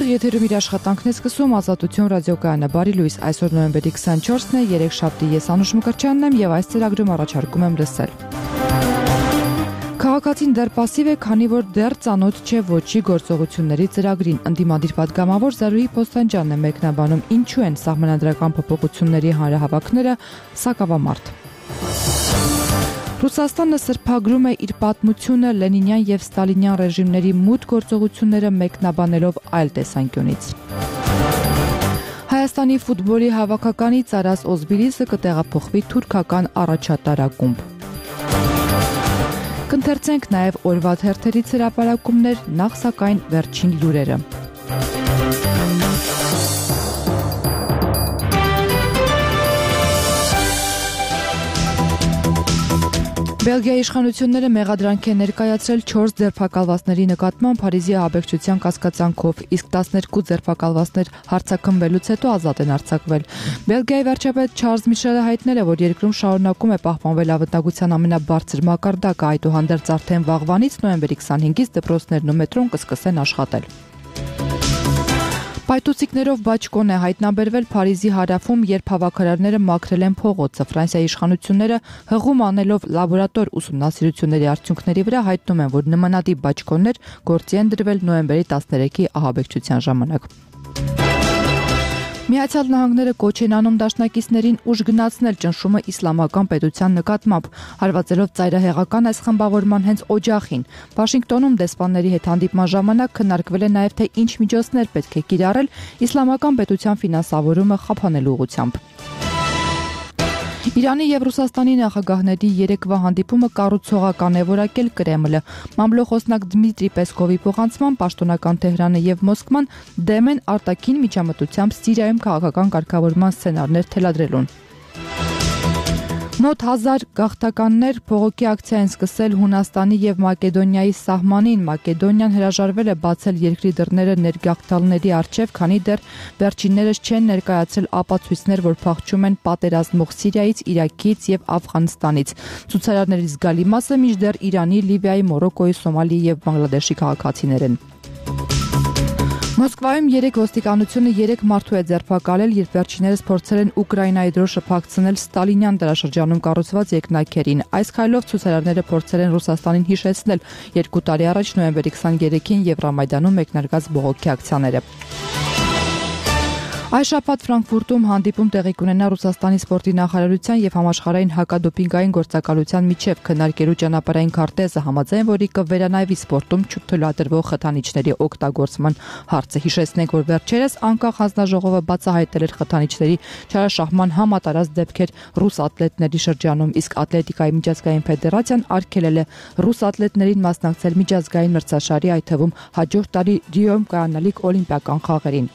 Եթերում իր աշխատանքն է սկսում Ազատություն ռադիոկայանը։ Բարի լույս, այսօր նոյեմբերի 24-ն է, երեքշաբթի, ես Անուշ Մկրտչյանն եմ եւ այս ծրագրում առաջարկում եմ լսել։ Քաղաքացին դեռ պասիվ է, քանի որ դեռ ծանոթ չէ ոչի գործողությունների ծրագրին։ Ընդդիմադիր պատգամավոր Զարուհի Փոստանջյանն է մեկնաբանում ինչու են սահմանադրական փոփոխությունների հանրահավաքները սակավամարտ։ Ռուսաստանը սրբագրում է իր պատմությունը Լենինյան եւ Ստալինյան ռեժիմների մութ գործողությունները մեկնաբանելով այլ տեսանկյունից։ Հայաստանի ֆուտբոլի հավաքականից Արաս Օզբիլիսը կտեղափոխվի թուրքական առաջատարակումբ։ Կընթերցենք նաև օրվա թերթերից հրապարակումներ, նախ սակայն վերջին լուրերը։ Բելգիայի իշխանությունները մեղադրանք են ներկայացրել 4 ձերբակալվածների նկատմամբ Փարիզի ահաբեկչության կասկածանքով, իսկ 12 ձերբակալվածներ հարձակումվելուց հետո ազատ են արձակվել։ Բելգիայի վարչապետ Չարլզ Միշելը հայտնել է, որ երկրում շարունակում է պահպանվել անվտանգության ամենաբարձր մակարդակը, այդուհանդերձ արդեն վաղվանից նոյեմբերի 25-ից դպրոցներն ու մետրոն կսկսեն աշխատել։ Պայթուցիկներով բաճկոն է հայտնաբերվել Փարիզի հարավում, երբ հավաքարարները մաքրել են փողոցը։ Ֆրանսիայի իշխանությունները հղում անելով լաբորատոր ուսումնասիրությունների արդյունքների վրա հայտնում են, որ նմանատիպ բաճկոններ գործի են դրվել նոյեմբերի 13-ի ահաբեկչության ժամանակ։ Միացյալ Նահանգները կոչ են անում դաշնակիցներին ուժ գնացնել ճնշումը իսլամական պետության նկատմամբ, հարվածելով ծայրահեղական այս խմբավորման հենց օջախին։ Վաշինգտոնում դեսպանների հետ հանդիպման ժամանակ քննարկվել է նաև թե ինչ միջոցներ պետք է կիրառել իսլամական պետության ֆինանսավորումը խափանելու ուղղությամբ։ Իրանի եւ Ռուսաստանի նախագահների երեկվա հանդիպումը կառուցողական է որակել Կրեմլը։ Մամլոխոսնակ Դմիտրի Պեսկովի փոխանցմամբ պաշտոնական Թեհրանը եւ Մոսկվան դեմ են արտաքին միջամտությամբ Սիրիայում քաղաքական կարգավորման սցենարներ թելադրելուն։ Մոտ 1000 գաղթականներ փողոքի ակցիա են սկսել Հունաստանի եւ Մակեդոնիայի սահմանին։ Մակեդոնիան հրաժարվել է բացել երկրի դռները ներգաղթալների առջև, քանի դեռ վերջիններս չեն ներկայացրել ապացույցներ, որ փախչում են պատերազմող Սիրիայից, Իրաքից եւ Աֆղանստանից։ Ցուցարարների զգալի մասը մինչդեռ Իրանի, Լիբիայի, Մորոկոյի, Սոմալիի եւ Բանգլադեշի քաղաքացիներ են։ Մոսկվայում ոստիկանությունը 3 մարդու է ձերբակալել, երբ վերջիններս փորձել են Ուկրաինայի դրոշը փակցնել Ստալինյան դարաշրջանում կառուցված երկնաքերին։ Այս քայլով ցուցարարները փորձել են Ռուսաստանին հիշեցնել 2 տարի առաջ նոյեմբերի 23-ին Եվրամայդանում մեկնարկած բողոքի ակցիաները։ Այս շաբաթ Ֆրանկֆուրտում հանդիպում տեղի կունենա Ռուսաստանի սպորտի նախարարության եւ համաշխարհային հակադոպինգային գործակալության միջև քննարկելու ճանապարհային քարտեզը, համաձայն որի կվերանայվի սպորտում չթույլատրվող խթանիչների օգտագործման հարցը։ Հիշեցնենք, որ վերջերս անկախ հանձնաժողովը բացահայտել էր խթանիչների չարաշահման համատարած դեպքեր ռուս ատլետների շրջանում, իսկ Ատլետիկայի միջազգային ֆեդերացիան արգելել է ռուս ատլետներին մասնակցել միջազգային մրցաշարի, այդ թվում հաջորդ տարի Ռիոյում կայանալիք օլիմպիական խաղերին։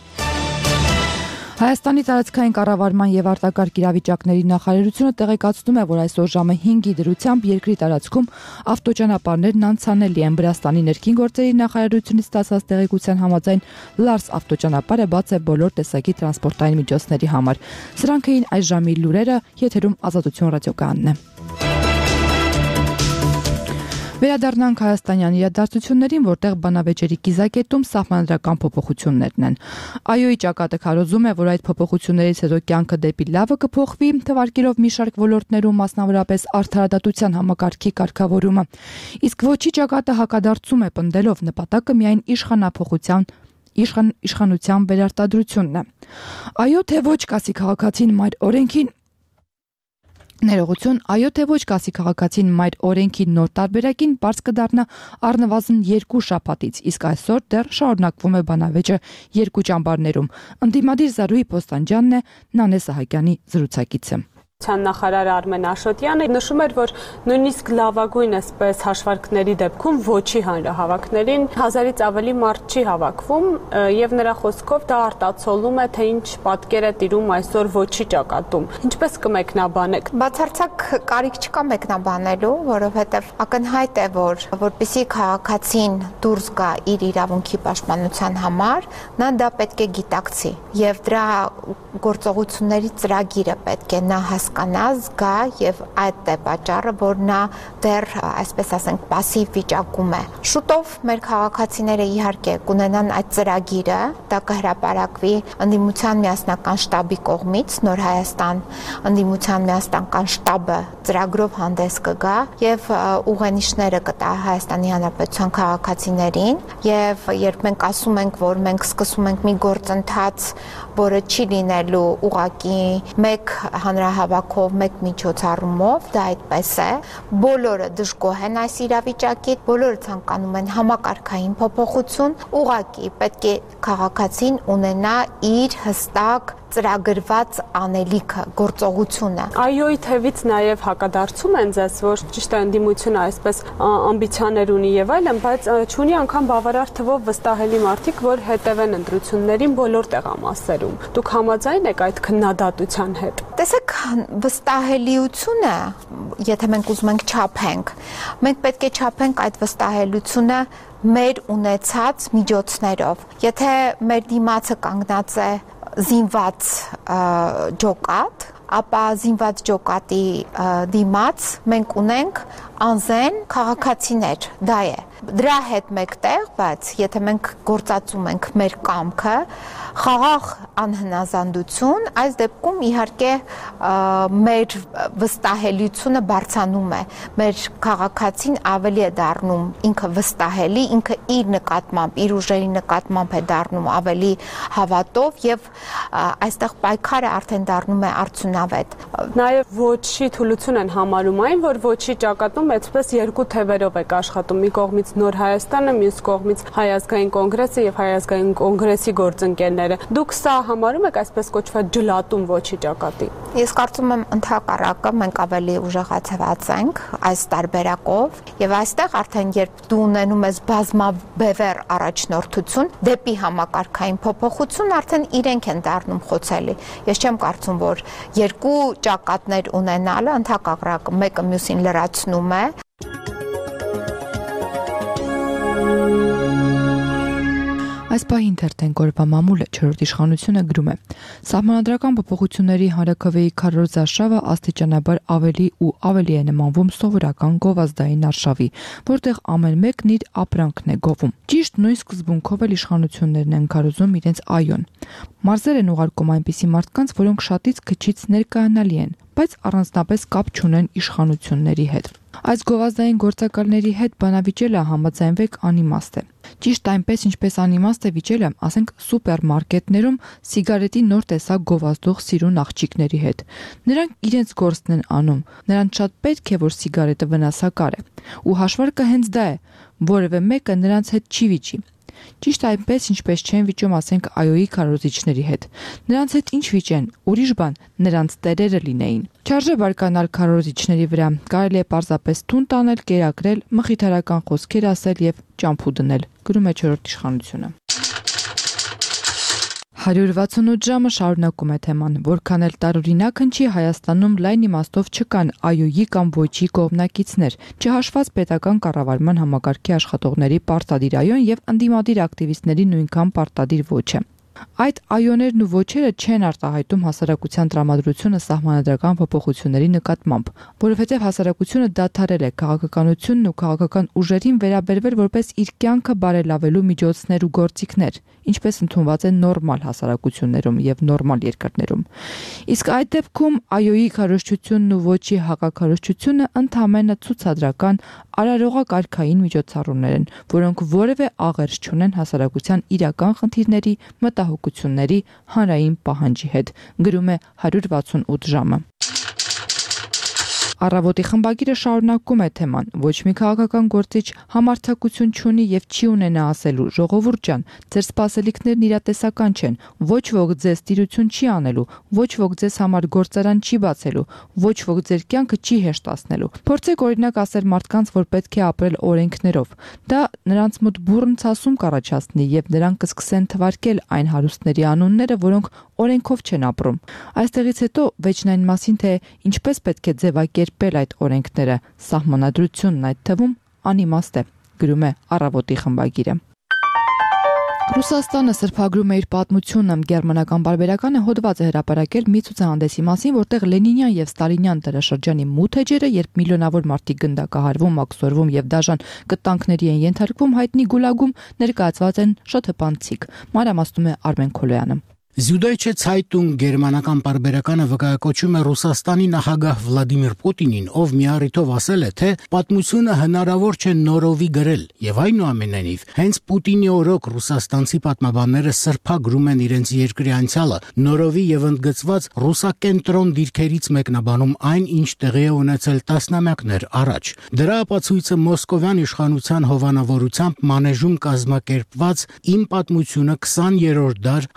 Հայաստանի տարածքային կառավարման եւ արտակարգ իրավիճակների նախարարությունը տեղեկացնում է, որ այսօր ժամը 5-ի դրությամբ երկրի տարածքում ավտոճանապարհներն անցանելի են։ Վրաստանի ներքին գործերի նախարարությունից ստացած տեղեկության համաձայն Լարս ավտոճանապարհը բաց է բոլոր տեսակի տրանսպորտային միջոցների համար։ Սրանք էին այս ժամի լուրերը, եթերում Ազատություն ռադիոկայանն է։ Վերադառնանք հայաստանյան իրադարձություններին, որտեղ բանավեճերի կիզակետում սահմանադրական փոփոխություններն են։ ԱՅՈ-ի ճակատը քարոզում է, որ այդ փոփոխություններից հետո կյանքը դեպի լավը կփոխվի, թվարկելով մի շարք ոլորտներում, մասնավորապես արդարադատության համակարգի կարգավորումը։ Իսկ ոչի ճակատը հակադարձում է, պնդելով նպատակը միայն իշխանության վերարտադրությունն է։ ԱՅՈ թե ոչ կասի քաղաքացին մայր օրենքին Ներողություն, այո թե ոչ կասի քաղաքացին մայր օրենքի նոր տարբերակին բարձ կդառնա առնվազն 2 շաբաթից, իսկ այսօր դեռ շարունակվում է բանավեճը 2 ճամբարներում։ Ընդդիմադիր Զարուհի Փոստանջյանն է Նանե Սահակյանի զրուցակիցը։ Նախարար Արմեն Աշոտյանը նշում էր, որ նույնիսկ լավագույն այսպես հաշվարկների դեպքում ոչի հանրահավաքներին 1000-ից ավելի մարդ չի հավաքվում եւ նրա խոսքով դա արտացոլում է, թե ինչ պատկեր է տիրում այսօր ոչի ճակատում։ Ինչպես կմեկնաբանեք։ Բացարձակ կարիք չկա մեկնաբանելու, որովհետեւ ակնհայտ է, որ որպեսզի քաղաքացին դուրս գա իր իրավունքի պաշտպանության համար, նա դա պետք է գիտակցի եւ դրա գործողությունների ծրագիրը պետք է նա հասկանա, զգա եւ այդ է պատճառը, որ նա դեռ, այսպես ասենք, пассив վիճակում է։ Շուտով մեր քաղաքացիները իհարկե կունենան այդ ծրագիրը, դա կհրապարակվի ընդդիմության միասնական շտաբի կողմից, Նոր Հայաստան ընդդիմության միասնական շտաբը ծրագրով հանդես կգա եւ ուղենիշները կտա Հայաստանի Հանրապետության քաղաքացիներին եւ երբ մենք ասում ենք, որ մենք սկսում ենք մի գործընթաց, որը չի լինելու ուղղակի մեկ հանրահավաքով, մեկ միջոցառումով, դա այդպես է, բոլորը դժգոհ են այս իրավիճակից, բոլորը ցանկանում են համակարգային փոփոխություն, ուղղակի պետք է քաղաքացին ունենա իր հստակ ծրագրված անելիքը, գործողությունը։ Այոյի թևից նաև հակադարձում են ձեզ, որ ճիշտ է ընդդիմությունը այսպես ամբիցիաներ ունի եւ այլն, բայց չունի անգամ բավարար թվով վստահելի մարդիկ, որ հետևեն ընտրություններին բոլոր տեղամասերում։ Դուք համաձայն եք այդ քննադատության հետ։ Տեսեք, վստահելիությունը, եթե մենք ուզում ենք չափենք, մենք պետք է չափենք այդ վստահելիությունը մեր ունեցած միջոցներով։ Եթե մեր դիմացը կանգնած է զինված ջոկատ, ապա զինված ջոկատի դիմաց մենք ունենք անզեն քաղաքացիներ, դա է։ Դրա հետ մեկտեղ, բայց եթե մենք գործածում ենք մեր կամքը, խաղաղ անհնազանդություն, այս դեպքում իհարկե մեր վստահելիությունը բարձրանում է, մեր քաղաքացին ավելի է դառնում ինքը վստահելի, ինքը իր նկատմամբ, իր ուժերի նկատմամբ է դառնում ավելի հավատով եւ այստեղ պայքարը արդեն դառնում է արդյունավետ։ Նաեւ ոչի թուլություն են համարում այն, որ ոչի ճակատում այդպես երկու թևերով եք աշխատում, մի կողմից Նոր Հայաստանը, մյուս կողմից Հայ ազգային կոնգրեսը եւ Հայ ազգային կոնգրեսի գործընկերները։ Դուք սա համարում եք այսպես կոչված ջլատում ոչի ճակատի։ Ես կարծում եմ ընդհակառակը մենք ավելի ուժեղացված ենք այս տարբերակով եւ այստեղ արդեն երբ դու ունենում ես բազմաբևեռ առաջնորդություն դեպի համակարգային փոփոխություն, արդեն իրենք են դառնում խոցելի։ Ես չեմ կարծում, որ երկու ճակատներ ունենալը ընդհակառակը մեկը մյուսին լրացնում է։ Այս պահին թերթեն կորպա մամուլը 4-րդ իշխանությունը գրում է. Սահմանադրական փոփոխությունների հանրաքվեի քարոզ արշավը աստիճանաբար ավելի ու ավելի է նմանվում սովորական գովազդային արշավի, որտեղ ամեն մեկն իր ապրանքն է գովում։ Ճիշտ նույն սկզբունքով էլ իշխանություններն են քարոզում իրենց այոն։ Մարզեր են ուղարկում այնպիսի մարդկանց, որոնք շատից քչից ներկայանալի են, բայց առանձնապես կապ չունեն իշխանությունների հետ։ Այս գովազդային գործակալների հետ բանավիճելը համաձայնվեք անիմաստ է։ Ճիշտ այնպես, ինչպես անիմաստ է վիճելը, ասենք սուպերմարկետներում սիգարետի նոր տեսակ գովազդող սիրուն աղջիկների հետ։ Նրանք իրենց գործն են անում, նրանց շատ պետք է, որ սիգարետը վնասակար է։ Ու հաշվարկը հենց դա է, որևէ մեկը նրանց հետ չի վիճի։ Ճիշտ այնպես, ինչպես չեն վիճում, ասենք այոյի քարոզիչների հետ։ Նրանց հետ ինչ վիճեն, ուրիշ բան, նրանց տերերը լինեին։ Չարժե բարկանալ քարոզիչների վրա, կարելի է պարզապես թուն տանել, կերակրել, մխիթարական խոսքեր ասել եւ ճամփու դնել, գրում է 4-րդ իշխանությունը։ 168 ժամը շարունակում է թեման, որքան էլ տարօրինակ հնչի, Հայաստանում լայն իմաստով չկան այոյի կամ ոչի կողմնակիցներ, չհաշված պետական կառավարման համակարգի աշխատողների պարտադիր այոն եւ ընդդիմադիր ակտիվիստների նույնքան պարտադիր ոչը։ Այդ այոներն ու ոչերը չեն արտահայտում հասարակության տրամադրությունը սահմանադրական փոփոխությունների նկատմամբ, որովհետև հասարակությունը դադարել է քաղաքականությունն ու քաղաքական ուժերին վերաբերվել որպես իր կյանքը բարելավելու միջոցներ ու գործիքներ, ինչպես ընդունված է նորմալ հասարակություններում եւ նորմալ երկրներում։ Իսկ այդ դեպքում այոյի քարոզչությունն ու ոչի հակաքարոզչությունը ընդհանրապես ցուցադրական արարողակարգային միջոցառումներ են, որոնք որևէ աղերս չունեն հասարակության իրական խնդիրների, մտահոգությունների, հանրային պահանջի հետ, գրում է 168 ժամը։ Առավոտի խմբագիրը շարունակում է թեման. ոչ մի քաղաքական գործիչ համարձակություն չունի եւ չի ունենա ասելու. ժողովուրդ ջան, ձեր սպասելիքներն իրատեսական չեն, ոչ ոք ձեզ տիրություն չի անելու, ոչ ոք ձեզ համար գործարան չի բացելու, ոչ ոք ձեր կյանքը չի հեշտացնելու։ Փորձեք օրինակ ասել մարդկանց, որ պետք է ապրել օրենքներով։ Դա նրանց մոտ բուռն ցասում կառաջացնի եւ նրանք կսկսեն թվարկել այն հարուստների անունները, որոնք օրենքով չեն ապրում։ Այստեղից հետո վեճն այն մասին, թե ինչպես պետք է ձևակերպել այդ օրենքները, սահմանադրությունն այդ թվում անիմաստ է, գրում է Առավոտի խմբագիրը։ Ռուսաստանը սրբագրում է իր պատմությունը, գերմանական պարբերականը հոդված է հրապարակել մի ցուցահանդեսի մասին, որտեղ Լենինյան եւ Ստալինյան դարաշրջանի մութ էջերը, երբ միլիոնավոր մարդիկ գնդակահարվում, աքսորվում եւ դաժան կտանքների են ենթարկվում, հայտնի գուլագում ներկայացված են շատ հպանցիկ։ Մանրամասնում է Արմեն Քոլոյանը։ Süddeutsche Zeitung գերմանական պարբերականը վկայակոչում է Ռուսաստանի նախագահ Վլադիմիր Պուտինին, ով մի առիթով ասել է, թե պատմությունը հնարավոր չէ նորովի գրել, եւ այնուամենայնիվ հենց Պուտինի օրոք ռուսաստանցի պատմաբանները սրբագրում են իրենց երկրի անցյալը, նորովի եւ ընդգծված ռուսակենտրոն դիրքերից մեկնաբանում այն, ինչ տեղի է ունեցել տասնամյակներ առաջ։ Դրա ապացույցը Մոսկովյան իշխանության հովանավորությամբ մանեժում կազմակերպված «Իմ պատմությունը 20-րդ դար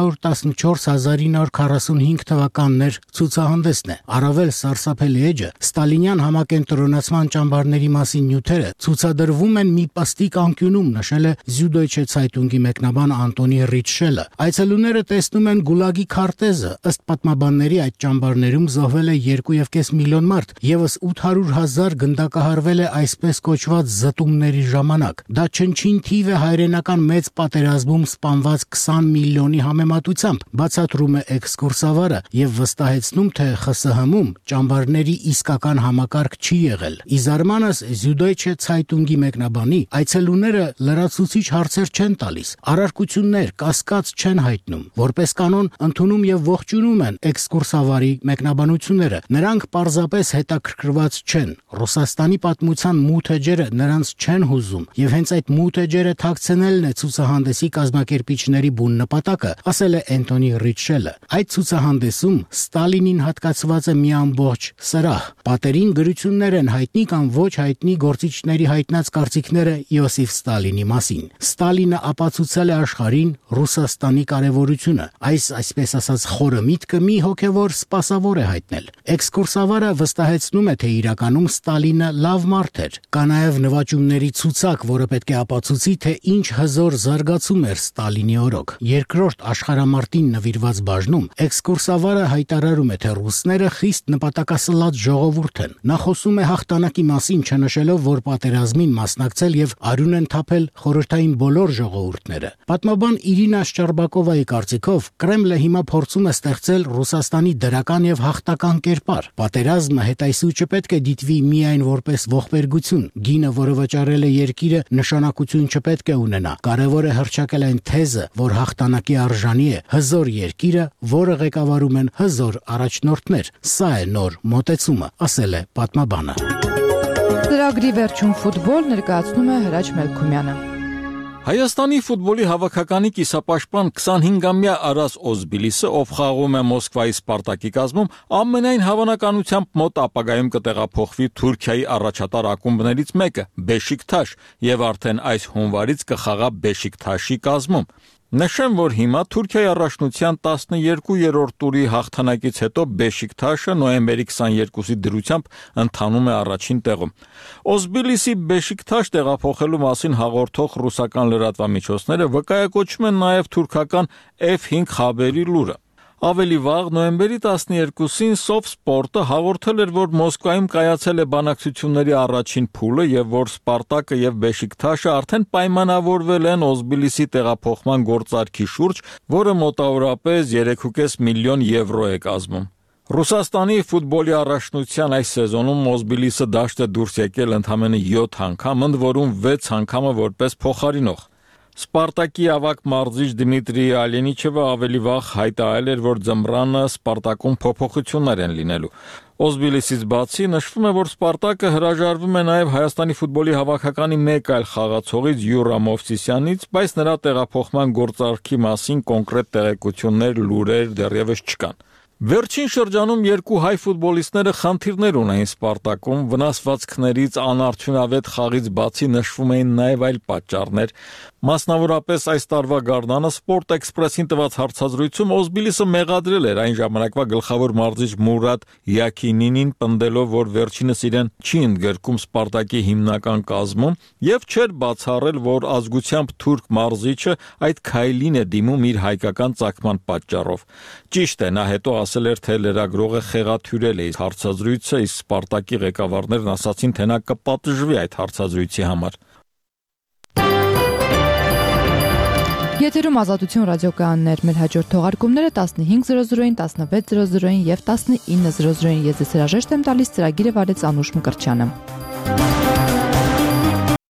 1914-1945 թվականներ» ցուցահանդեսն է։ Առավել սարսափելի էջը ստալինյան համակենտրոնացման ճամբարների մասին նյութերը ցուցադրվում են մի պստիկ անկյունում, նշել է Süddeutsche Zeitung-ի մեկնաբան Անտոնի Ռիչշելը։ Այցելուները տեսնում են գուլագի քարտեզը, ըստ պատմաբանների այդ ճամբարներում զոհվել է 2.5 միլիոն մարդ, եւս 800,000 գնդակահարվել է այսպես կոչված զտումների ժամանակ։ Դա չնչին թիվ է հայրենական մեծ պատերազմում սպանված 20 միլիոնի համեմատությամբ, բացատրում է էքսկուրսավարը եւ վստահեցնում, թե ԽՍՀՄ-ում ճամբարների իսկական համակարգ չի եղել։ Ի զարմանս Süddeutsche Zeitung-ի մեկնաբանի, այցելուները լրացուցիչ հարցեր չեն տալիս, առարկություններ, կասկած չեն հայտնում, որպես կանոն ընդունում եւ ողջունում են էքսկուրսավարի մեկնաբանությունները։ Նրանք պարզապես հետաքրքրված չեն։ Ռուսաստանի պատմության մութ էջերը նրանց չեն հուզում եւ հենց այդ մութ էջերը թաքցնելն է ցուցահանդեսի կազմակերպիչների բուն նպատակը, ասել է Անտոնի Ռիչշելը։ Այդ ցուցահանդեսում Ստալինին հատկացված է մի ամբողջ սրահ։ Պատերին գրություններ են հայտնի կամ ոչ հայտնի գործիչների հայտնած կարծիքները Իոսիֆ Ստալինի մասին։ Ստալինը ապացուցել է աշխարհին Ռուսաստանի կարևորությունը։ Այսպես ասած խորը միտքը մի հոգևոր սպասավոր է հայտնել։ Էքսկուրսավարը վստահեցնում է, թե իրականում Ստալինը լավ մարդ էր։ Կա նաև նվաճումների ցուցակ, որը պետք է ապացուցի, թե ինչ հզոր զարգացում էր Ստալինի օրոք։ Երկրորդ աշխարհամարտին նվիրված բաժնում էքսկուրսավարը հայտարարում է, թե ռուսները խիստ նպատակասլաց ժողովուրդ են։ Նա խոսում է հաղթանակի մասին, չնշելով, որ պատերազմին մասնակցել եւ արյուն են թափել խորհրդային բոլոր ժողովուրդները։ Պատմաբան Իրինա Շչարբակովայի կարծիքով Կրեմլը հիմա փորձում է ստեղծել Ռուսաստանի դրական եւ հաղթական կերպար։ Պատերազմը հետայսու չպետք է դիտվի միայն որպես ողբերգություն։ Գինը, որը վճարել է երկիրը, նշանակություն չպետք է ունենա։ Կարևոր է հռչակել այն թեզը, որ հաղթանակի արժանի է հզոր երկիրը, որը ղեկավարում են հզոր առաջնորդներ։ Սա է նոր մոտեցումը, ասել է պատմաբանը։ Ծրագրի վերջում ֆուտբոլ ներկայացնում է Հրաչ Մելքումյանը։ Հայաստանի ֆուտբոլի հավաքականի կիսապաշտպան 25-ամյա Արաս Օզբիլիսը, ով խաղում է Մոսկվայի Սպարտակի կազմում, ամենայն հավանականությամբ մոտ ապագայում կտեղափոխվի Թուրքիայի առաջատար ակումբներից մեկը՝ Բեշիկթաշ, եւ արդեն այս հունվարից կխաղա Բեշիկթաշի կազմում։ Նշեմ, որ հիմա Թուրքիայի առաջնության 12-րդ տուրի հաղթանակից հետո Բեշիկթաշը նոյեմբերի 22-ի դրությամբ ընթանում է առաջին տեղում։ Օզբիլիսի Բեշիկթաշ տեղափոխելու մասին հաղորդող ռուսական լրատվամիջոցները վկայակոչում են նաև թուրքական F5 խաբերի լուրը։ Ավելի վաղ նոյեմբերի 12-ին Սովսպորտը հաղորդել էր, որ Մոսկվայում կայացել է բանակցությունների առաջին փուլը եւ որ Սպարտակը եւ Բեշիկթաշը արդեն պայմանավորվել են Օզբիլիսի տեղափոխման գործարքի շուրջ, որը մոտավորապես 3.5 միլիոն եվրո է կազմում։ Ռուսաստանի ֆուտբոլի առաջնության այս սեզոնում Օզբիլիսը դաշտ է դուրս եկել ընդամենը 7 անգամ, ընդ որում 6 անգամը որպես փոխարինող։ Սպարտակի ավագ մարզիչ Դմիտրի Ալենիչևը ավելի վաղ հայտարարել էր, որ ձմռանը Սպարտակում փոփոխություններ են լինելու։ Օզբիլիսից բացի նշվում է, որ Սպարտակը հրաժարվում է նաև Հայաստանի ֆուտբոլի հավաքականի մեկ այլ խաղացողից Յուրա Մովսիսյանից, բայց նրա տեղափոխման գործարքի մասին կոնկրետ տեղեկություններ, լուրեր դեռևս չկան։ Վերջին շրջանում երկու հայ ֆուտբոլիստները խնդիրներ ունեին Սպարտակում, վնասվածքներից, անարդյունավետ խաղից բացի նշվում էին նաև այլ պատճառներ։ Մասնավորապես այս տարվա գարնանը Sport Express-ին տված հարցազրույցում Օզբիլիսը մեղադրել էր այն ժամանակվա գլխավոր մարզիչ Մուրադ Յաքինինին, պնդելով, որ վերջինս իրեն չի ընդգրկում Սպարտակի հիմնական կազմում եւ չէր բացառել, որ ազգությամբ թուրք մարզիչը այդ քայլին է դիմում իր հայկական ծագման պատճառով։ Ճիշտ է, նա հետո ասել էր, թե լրագրողը խեղաթյուրել է հարցազրույցը, իսկ Սպարտակի ղեկավարներն ասացին, թե նա կպատժվի այդ հարցազրույցի համար։ Եթերում Ազատություն ռադիոկայաններ, մեր հաջորդ թողարկումները 15:00-ին, 16:00-ին եւ 19:00-ին։ Ես հրաժեշտ եմ տալիս, ծրագիրը վարեց Անուշ Մկրտչյանը։